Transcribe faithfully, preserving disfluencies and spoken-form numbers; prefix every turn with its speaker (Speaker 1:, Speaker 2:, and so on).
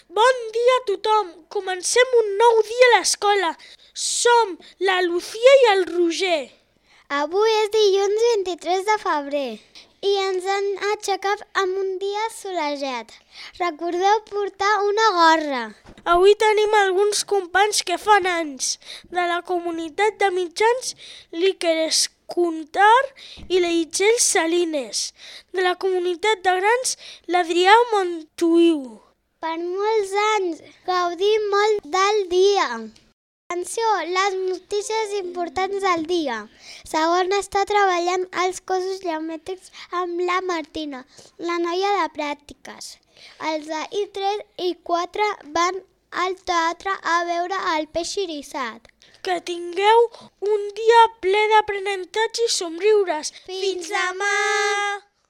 Speaker 1: Bon dia a tothom! Comencem un nou dia a l'escola. Som la Lucía i el Roger.
Speaker 2: Avui és dilluns vint-i-tres de febrer i ens han aixecat amb un dia solejat. Recordeu portar una gorra.
Speaker 1: Avui tenim alguns companys que fan anys de la comunitat de mitjans l'Iker Escuntar i l'Itzel Salines, de la comunitat de grans l'Adrià Montuïu.
Speaker 2: Per molts anys, gaudim molt del dia. Atenció, les notícies importants del dia. Segon està treballant als cossos geomètrics amb la Martina, la noia de pràctiques. Els de I tres i quatre van al teatre a veure el peix irisat.
Speaker 1: Que tingueu un dia ple d'aprenentatge i somriures.
Speaker 2: Fins demà!